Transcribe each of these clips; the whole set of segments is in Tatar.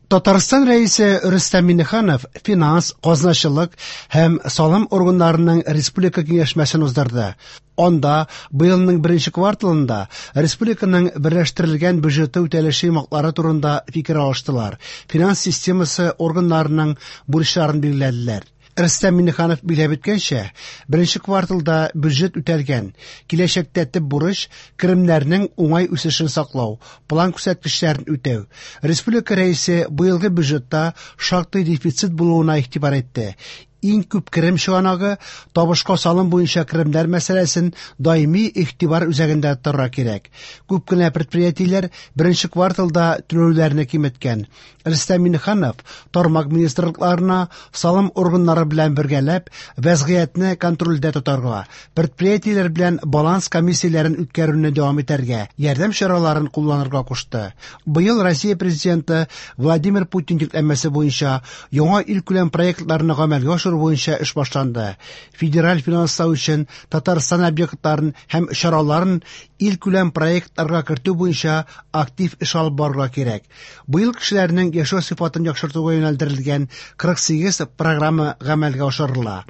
Татарстан Рәисе Рөстәм Миңнеханов финанс, казначылык һәм салым органнарының республика киңәшмәсен уздырды. Анда быелның беренче кварталында республиканың берләштерелгән бюджеты үтәлеше йомгаклары турында фикер алыштылар, финанс системасы органнарының бурычларын билгеләделәр. Рөстәм Миңнеханов билгеләп үткәнчә, беренче кварталда бюджет үтәлгән. Киләчәктә төп бурыч керемнәрнең уңай үсешен саклау, план күрсәткечләрен үтәү. Республика Рәисе быелгы бюджетта шактый дефицит булуына игътибар итте. Иң күп керем чыганагы табышка салым буенча керемнәр мәсьәләсен даими игътибар үзәгендә тотарга кирәк. Күп кенә предприятиеләр беренче кварталда түләүләрне киметкән. Рөстәм Миңнеханов тармак министрлыкларына салым органнары белән бергәләп вәзгыятьне контрольдә тотарга, предприятиеләр белән баланс комиссияләрен үткәрүне дәвам итәргә, ярдәм чараларын кулланырга кушты. Быел Россия Президенты Владимир Путин йөкләмәсе буенча яңа илкүләм проектларны гамәлгә ашыру буенча эш башланды. Федераль финанслау өчен Татарстан объектларын һәм чараларын илкүләм проектларга кертү буенча актив эш алып барырга кирәк. Быел кешеләрнең яшәү сыйфатын яхшыртуга юнәлдерелгән 48 программа гамәлгә ашырыла.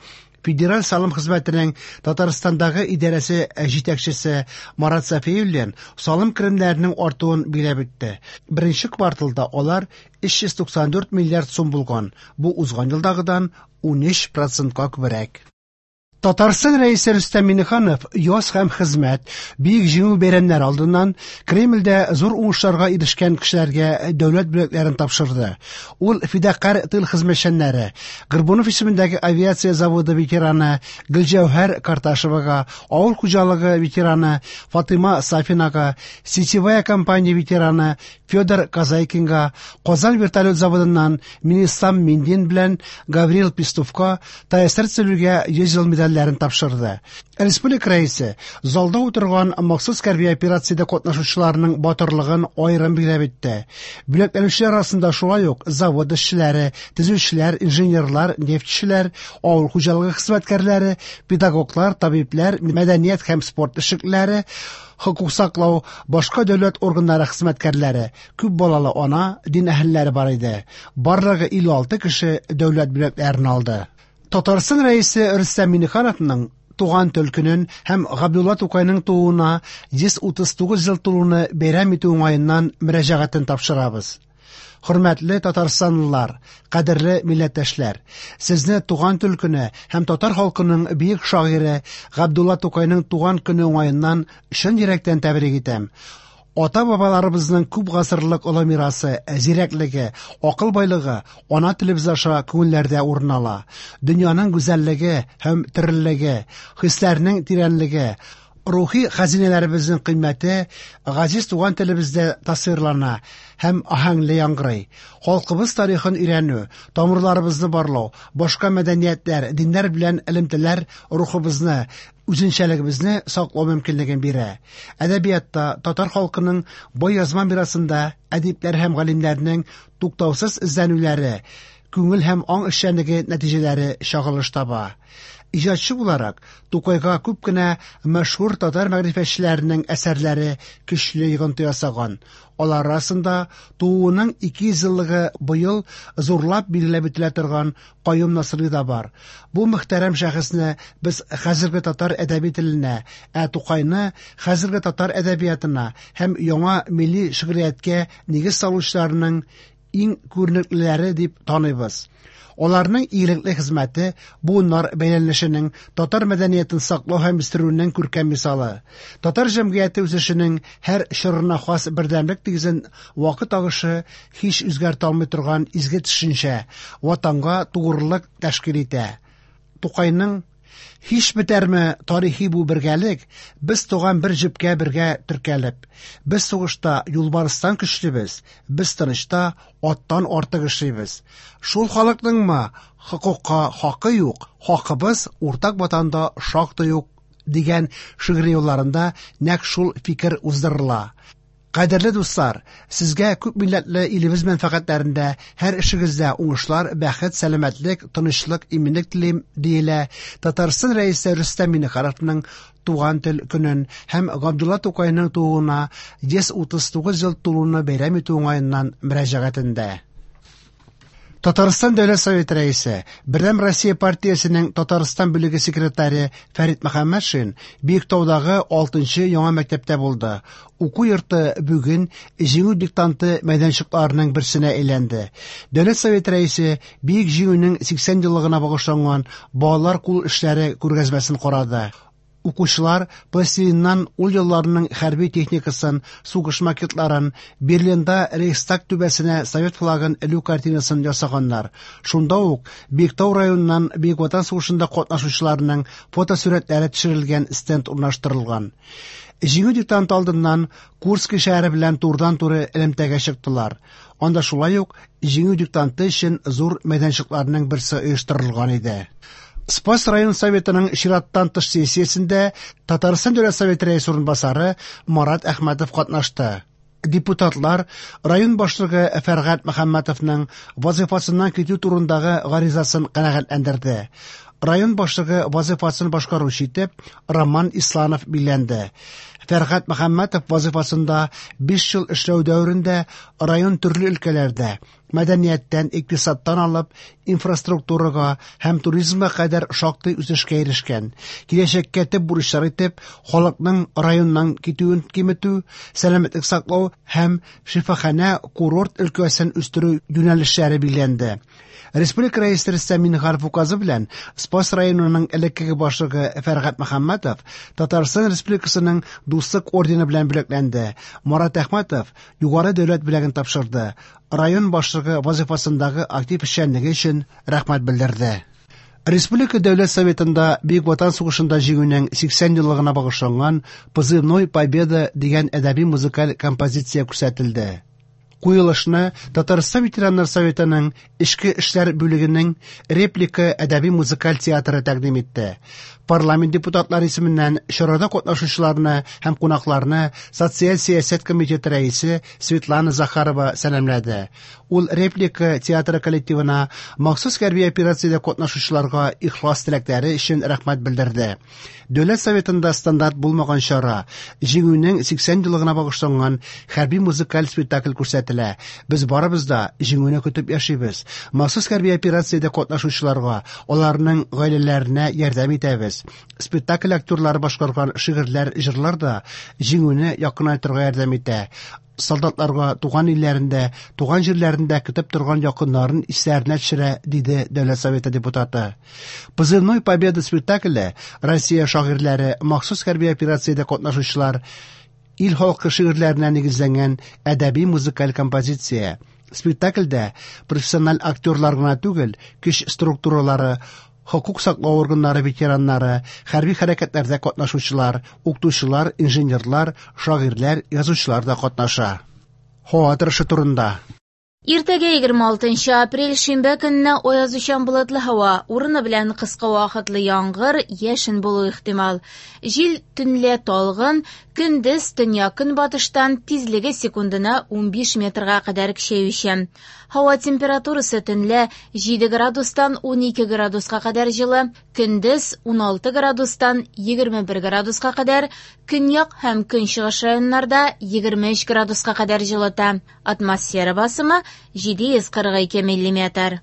Федераль салым хезмәтенең Татарстандагы идарәсе җитәкчесе Марат Сафиуллин салым керемнәренең артуын билгеләп үтте. Беренче кварталда алар 394 миллиард сум булган. Бу узган елдагыдан 13 процентка күбрәк. Татарстан Рәисе Рөстәм Миңнеханов яз һәм хезмәт, Бөек Җиңү бәйрәмнәре алдыннан Кремльдә зур уңышларга ирешкән кешеләргә дәүләт бүләкләрен тапшырды. Ул фидакарь тыл хезмәтчәннәре, Горбунов исемендәге авиация заводы ветераны Гөлҗәүһәр Карташевага, авыл хуҗалыгы ветераны Фатыйма Сафинага, сетевая компания ветераны Федор Казайкинга, Казан вертолет заводыннан Минислам Миндин белән Гаврил Пестовка ТАССР төзелүгә 100 ел медальләрен тапшырды. Республика Рәисе залда утырган махсус хәрби операциядә катнашучыларның батырлыгын аерым билгеләп үтте. Бүләкләнүчеләр арасында шулай ук завод эшчеләре, төзүчеләр, инженерлар, нефтьчеләр, авыл хуҗалыгы хезмәткәрләре, педагоглар, табибләр, мәдәният һәм спорт эшлеклеләре, хокук саклау, башка дәүләт органнары хезмәткәрләре, күп балалы ана, дин әһелләре бар иде. Барлыгы 56 кеше дәүләт бүләкләрен алды. Татарстан Рәисе Рөстәм Миңнехановның туган тел көнен һәм Габдулла Тукайның тууына 139 ел тулуны бәйрәм итү уңаеннан мөрәҗәгатен тапшырабыз. Хөрмәтле татарстанлылар, кадерле милләттәшләр, сезне туган тел көне һәм татар халкының бөек шагыйре Габдулла Тукайның туган көне уңаеннан чын йөрәктән тәбрик итәм. Ата-бабаларыбызның күп гасырлык олы мирасы, зирәклеге, акыл байлыгы ана телебез аша күңелләрдә урын ала. Дөньяның гүзәллеге һәм тереллеге, хисләрнең тирәнлеге, рухи хәзинәләребезнең кыйммәте газиз туган телебездә тасвирлана һәм аһәңле яңгырый. Халкыбыз тарихын өйрәнү, тамырларыбызны барлау, башка мәдәниятләр, диннәр белән элемтәләр рухыбызны, үзенчәлегебезне саклау мөмкинлеген бирә. Әдәбиятта татар халкының бай язма мирасында әдипләр һәм галимнәрнең туктаусыз эзләнүләре, күңел һәм аң эшчәнлеге нәтиҗәләре чагылыш таба. Иҗатчы буларак, Тукайга күп кенә мәшһүр татар мәгърифәтчеләренең әсәрләре көчле йогынты ясаган. Алар арасында тууының 200 еллыгы быел зурлап билгеләп үтелә торган Каюм Насыйри да бар. Бу мөхтәрәм шәхесне без хәзерге татар әдәби теленә, ә Тукайны хәзерге татар әдәбиятына һәм яңа милли шигърияткә нигез салучыларның иң күренеклеләре дип таныйбыз. Аларның игелекле хезмәте буыннар бәйләнешенең, татар мәдәниятен саклау һәм үстерүнең күркәм мисалы. Татар җәмгыяте үсешенең һәр чорына хас бердәмлек нигезен вакыт агышы һич үзгәртә алмый торган изге төшенчә Ватанга тугрылык тәшкил итә. Тукайның Һич бетәрме тарихи бу бергәлек, без туган бер җепкә бергә теркәлеп. Без сугышта юлбарыстан көчлебез, без тынычта аттан артык эшлибез. Шул халыкныңмы хокукка хакы юк, хакыбыз уртак ватанда шактый ук дигән шигъри юлларында нәкъ шул фикер уздырыла. Кадерле дуслар, сезгә күп милләтле илебез мәнфәгатьләрендә һәр эшегездә уңышлар, бәхет, сәламәтлек, тынычлык, иминлек телим, диелә Татарстан Рәисе Рөстәм Миңнехановның туган тел көнен һәм Габдулла Тукайның тууына 139 ел тулуны бәйрәм итү уңаеннан мөрәҗәгатендә. Татарстан Дәүләт Советы рәисе, Бердәм Россия партиясенең Татарстан бүлеге секретаре Фәрит Мөхәммәтшин Биектаудагы 6нчы яңа мәктәптә булды. Уку йорты бүген Җиңү диктанты мәйданчыкларының берсенә әйләнде. Дәүләт Советы рәисе Бөек Җиңүнең 80 еллыгына багышланган балалар кул эшләре күргәзмәсен карады. Укучылар пластилиннан ул елларның хәрби техникасын, сугыш макетларын, Берлинда Рейхстаг түбәсенә совет флагын элү картинасын ясаганнар. Шунда ук Биектау районыннан Бөек Ватан сугышында катнашучыларның фотосурәтләре төшерелгән стенд урнаштырылган. Җиңү диктанты алдыннан Курский шәһәре белән турыдан-туры элемтәгә чыктылар. Анда шулай ук Җиңү диктанты өчен зур мәйданчыкларның берсе оештырылган иде. Спас район советының чираттан тыш сессиясендә Татарстан Дәүләт Советы рәисе урынбасары Марат Әхмәтов катнашты. Депутатлар район башлыгы Фәргать Мөхәммәтовның вазифасыннан китү турындагы гаризасын канәгатьләндерде. Район башлыгы вазифасын башкаручы итеп Роман Исланов билгеләнде. Фәргать Мөхәммәтов вазифасында 5 ел эшләү дәверендә район төрле өлкәләрдә мәдәнияттән, икътисадтан алып инфраструктурага һәм туризмга кадәр шактый үсешкә ирешкән. Киләчәккә төп бурычлар итеп халыкның районнан китүен киметү, сәламәтлек саклау һәм шифаханә курорт өлкәсен үстерү юнәлешләре билгеләнде. Республика Рәисе Рөстәм Миңнеханов указы белән Спас районының элеккеге башлыгы Фәргать Мөхәммәтов Татарстан Республикасының Дуслык ордены белән бүләкләнде. Марат Әхмәтов югары дәүләт бүләген тапшырды. Район башлыгы вазифасындагы актив эшчәнлеге өчен рәхмәт белдерде. Республика Дәүләт Советында Бөек Ватан сугышында җиңүнең 80 еллыгына багышланган Позывной Победа дигән әдәби музыкаль композиция күрсәтелде. Куелышны Татарстан ветераннар советының Эчке эшләр бүлегенең Реплика әдәби музыкаль театры тәкъдим итте. Парламент депутатлары исеменнән чарада катнашучыларны һәм кунакларны Социаль сәясәт комитеты рәисе Светлана Захарова сәламләде. Ул Реплика театры коллективына махсус хәрби операциядә катнашучыларга ихлас теләкләре өчен рәхмәт белдерде. Дәүләт Советында стандарт булмаган чара Җиңүнең 80 еллыгына багышланган хәрби музыкаль спектакль күрсәтелә. Без барыбыз да җиңүне көтеп яшибез. Махсус хәрби операциядә катнашучыларга, аларның гаиләләренә ярдәм итәбез. Спектакль актерлары башкарган шигырьләр, җырлар да җиңүне якынайтырга ярдәм итә. Солдатларга туган илләрендә, туган җирләрендә көтеп торган якыннарын исләренә төшерә, диде Дәүләт Советы депутаты. Позывной Победа спектакле Россия шагыйрьләре, махсус хәрби операциядә катнашучылар, ил халкы шигырьләренә нигезләнгән әдәби музыкаль композиция. Спектакльдә профессиональ актерлар гына түгел, көч структуралары, хокук саклау органнары ветераннары, хәрби хәрәкәтләрдә катнашучылар, укытучылар, инженерлар, шагыйрьләр, язучылар да катнаша. Һава торышы турында. Иртәгә 26 апрель шимбә көнне аязучан болытлы һава, урыны белән кыска вакытлы яңгыр, яшен булу ихтимал. Җил төнлә талгын, көндез төньяк-көнбатыштан тизлеге секундына 15 метрга кадәр көчәючән. Һава температурасы төнлә 7 градустан 12 градуска кадәр җылы, көндез 16 градустан 21 градуска кадәр, көньяк һәм көнчыгыш районнарда 23 градуска кадәр җылыта. Атмосфера басымы 742 миллиметр.